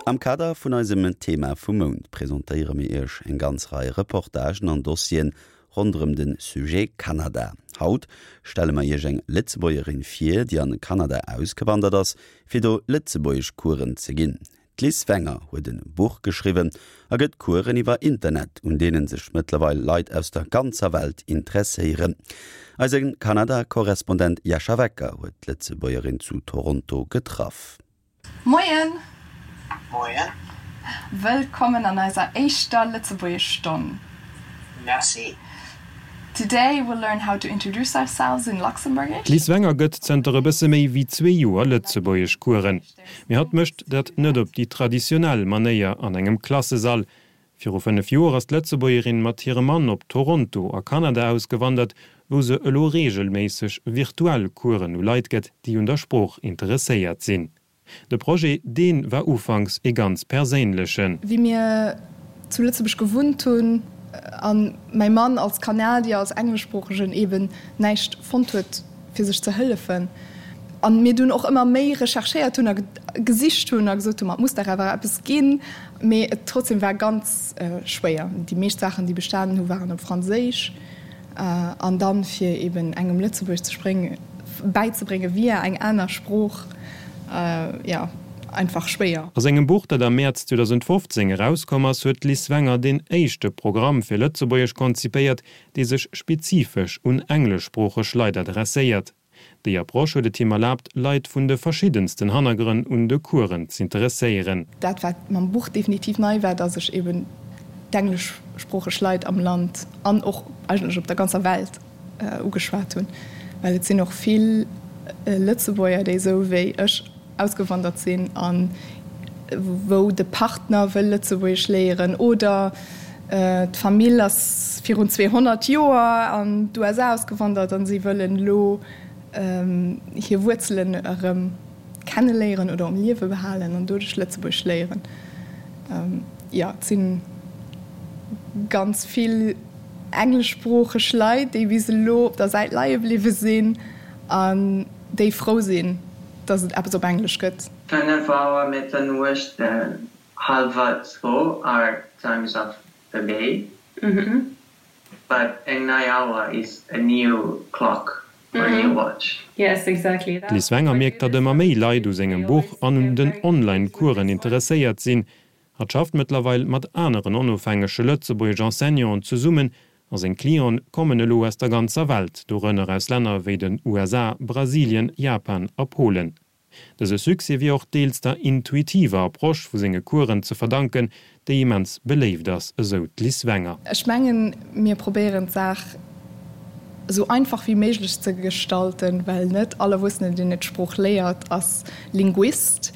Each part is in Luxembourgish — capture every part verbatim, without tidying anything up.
Am Kader vun eisem Thema vum Mount presentéiere mir Iech eng ganz Rei Reportagen an Dossieren ronderëm de Sujet Kanada. Haut stelle mer Iech eng Lëtzebuergerin vir, déi an Kanada ausgewandert ass, fir do Lëtzebuergesch-Coursen ze ginn. D'Liz Wenger huet e Buch geschriwwen a gëtt Coursen iwwer Internet, un deene sech mëttlerweil Leit aus der ganzer Welt interesséieren. Eise Kanada-Korrespondent Jascha Wecker huet d'Lëtzebuergerin zu Toronto getraff. Moien! Moien. Wëllkommen an eiser éischter Lëtzebuergesch-Stonn. Merci. Today we'll learn how to introduce ourselves in Luxembourgish. D'Liz Wenger gëtt zënter e bësse méi wéi zwee Joer Lëtzebuergesch-Coursen. Mee hatt mécht dat net op déi traditionell Manéier an engem Klassesall. Viru fënnef Joer ass d'Lëtzebuergerin mat hirem Mann op Toronto a Kanada ausgewandert, wou se elo reegelméisseg virtuell Coursen u Leit gëtt, déi un der Sprooch interesséiert sinn. De Projet, dee war ufanks ee ganz perséinlechen. Wéi mir zu Lëtzebuerg gewunnt hunn a mäi Mann als Kanadier, als Engleschsproochegen eeben näischt fonnt huet, fir sech ze hëllefen, a mir dunn och ëmmer méi recherchéiert hunn a gesicht hunn a gesot hunn, ma et muss dach awer eppes ginn, mee et trotzdem war ganz schwéier. Déi meescht Saachen, déi bestanen hu waren op Franséisch. An dann fir eben engem Lëtzebuergesch ze spréngen, bäizebréngen via eng aner Sprooch, jo, einfach schwéier. A sengem Buch, dat am Mäerz zweedausendfofzéng erauskomm ass, huet d'Liz Wenger deen éischte Programm fir Lëtzebuergesch konzipéiert, dee sech spezifesch un engleschsproocheg Leit adresséiert. Déi Approche huet et him erlaabt, Leit vun de verschiddensten Hannergrënn un de Coursen z'interesséieren. Dat wat mam Buch definitiv nei war, dass ech eben d'engleschsproocheg Leit am Land an och eigentlech op der ganzer Welt ugeschwat hunn, well et sinn och vill Lëtzebuerger, déi esou wéi ech ausgewandert sinn a wou de Partner wëll Lëtzebuergesch léieren oder d'Famill ass virun zweehonnert Joer an d'USA ausgewandert a si wëllen elo hir Wuerzelen erëm kenneléieren oder um Liewe behalen an doduerch Lëtzebuergesch léieren. Jo, et si ganz vill engleschsproocheg Leit, déi bis elo op der Säit leie bliwwe sinn an déi frou sinn, datt et eppes op Englesch gëtt. Fënnef Auer Mëtternuecht and hallwer zwou are times of the day, but eng nei Auer is a new clock or a new watch. D'Liz Wenger mierkt, datt ëmmer méi Leit u sengem Buch an un den Online-Coursen interesséiert sinn. Hatt schafft mëttlerweil mat aneren onofhängege Lëtzebuergesch-Enseignanten zesummen a seng Clienten kommen elo aus der ganzer Welt, dorënner aus Länner wéi den U S A, Brasilien, Japan a Polen. Dëse Succès wier och deels der intuitiver Approche vu senge Coursen ze verdanken, déi immens beléift ass, esou d'Liz Wenger. Ech mengen, mir probéieren d'Saach esou einfach wéi méiglech ze gestalten, well net all Erwuessenen, deen et d'Sprooch léiert, ass Linguist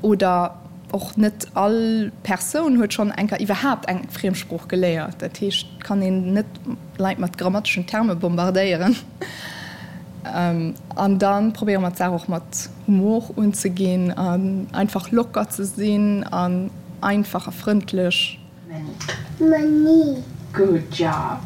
oder och net all Persoun huet schonn eng Kéier iwwerhaapt eng Friemsprooch geléiert. Dat heescht, et kann een net Leit mat grammateschen Terme bombardéieren. An da probéiere mer d'Saach och mat Humor unzeginn an einfach locker ze sinn an einfach a frëndlech. Many. Good job.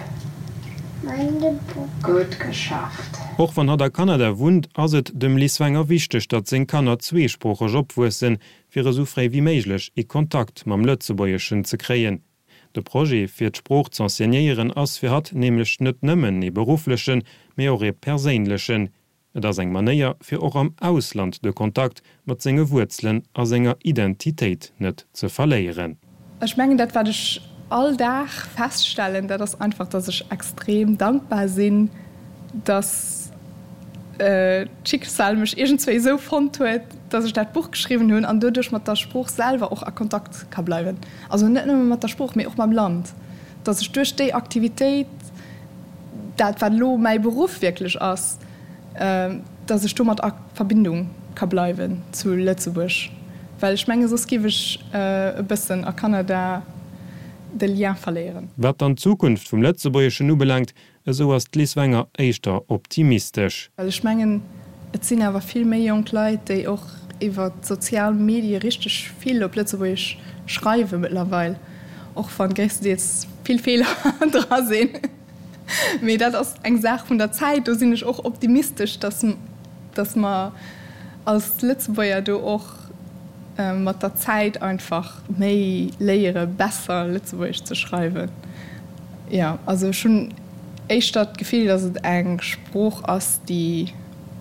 Meine Book. Gutt geschafft. Och wann hatt a Kanada wunnt, ass et dem Liz Wenger wichteg, datt seng Kanner zweesproocheg opwuessen, fir esou fréi wéi méiglech ee Kontakt mam Lëtzebuergeschen ze kréien. De Projet, fir d'Sprooch z'enseignéieren, ass fir hatt nämlech net nëmmen ee berufflechen, mee och ee perséinlechen. Et ass eng Manéier, fir och am Ausland de Kontakt mat senge Wuerzelen a senger Identitéit net ze verléieren. Ech mengen, dat wat ech all Dag feststellen, dat ass einfach, dass ech extrem dankbar sinn, dass d'Schicksal mech iergendswéi esou fonnt huet, dass ech dat Buch geschriwwen hunn an doduerch mat der Sprooch selwer och a Kontakt ka bleiwen. Also net nëmme mat der Sprooch, mee och mam Land. Dass ech duerch déi Aktivitéit, dat wat elo mäi Beruff wierklech ass, dass ech domat a Verbindung ka bleiwen zu Lëtzebuerg, well ech menge soss giff ech e bëssen a Kanada de Lien verléieren. Wat dann d'Zukunft vum Lëtzebuergeschen ubelaangt, esou ass d'Liz Wenger éischter optimistesch. Well ech mengen, et sinn awer vill méi jonk Leit, déi och iwwer d'sozial Medie richteg vill op Lëtzebuergesch schreiwe mëttlerweil, och wann gréisstendeels vill Feeler dra sinn. Mee dat ass eng Saach vun der Zäit. Do sinn ech och optimistesch, dass, dass mer als Lëtzebuerger do och mat der Zäit einfach méi léiere besser Lëtzebuergesch ze schreiwen. Jo, also ech hunn éischter d'Gefill, datt et eng Sprooch ass, déi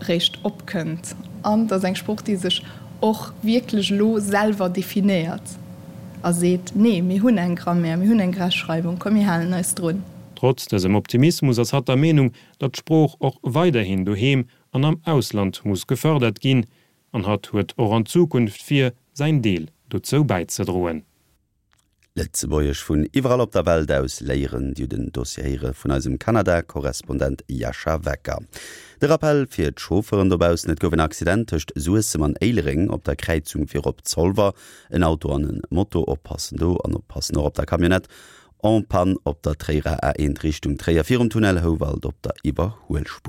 réischt opkënnt an et ass eng Sprooch, déi sech och wierklech elo selwer definéiert a seet, Nee, mir hunn eng Grammaire, mir hunn eng Rechtschreibung, komm mir halen eis drun. Trotz dësem Optimismus ass hatt der Meenung, datt d'Sprooch och weiderhin doheem an am Ausland muss gefërdert ginn, an hatt huet och an Zukunft vir, säin Deel dozou bäizedroen. Lëtzebuergesch vun iwwerall op der Welt aus léieren, Dir hutt den Dossier héiere vun eisem Kanada-Korrespondent Jascha Wecker. De Rappell fir d'Chauffeuren dobaussen, Et gouf en Accident tëscht Suessem an Éilereng op der Kräizung fir op Zolwer. En Auto an e Moto, oppassen do an oppassen och op der Camionnette en panne op der Tréierer A eent Richtung Tréier virum Tunnel Houwald op der Iwwerhuelspuer.